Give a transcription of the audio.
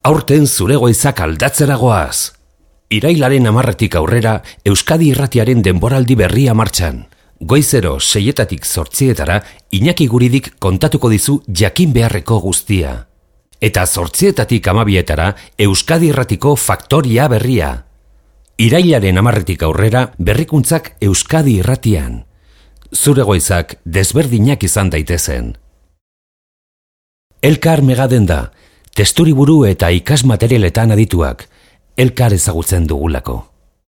Aurten zure goizak aldatzera goaz. Irailaren 10 aurrera Euskadi Irratiaren denboraldi berria martxan. Goizero 6-etatik 8-etara Iñaki Guridik kontatuko dizu jakin beharreko guztia. Eta 8-etatik 12-etara Euskadi Irratiko Faktoria berria. Irailaren 10-etik aurrera berrikuntzak Euskadi Irratian. Zure goizak desberdinak izan daitezen. Elkar Megadenda, testuriburu eta ikasmaterialetan adituak, elkar ezagutzen dugulako.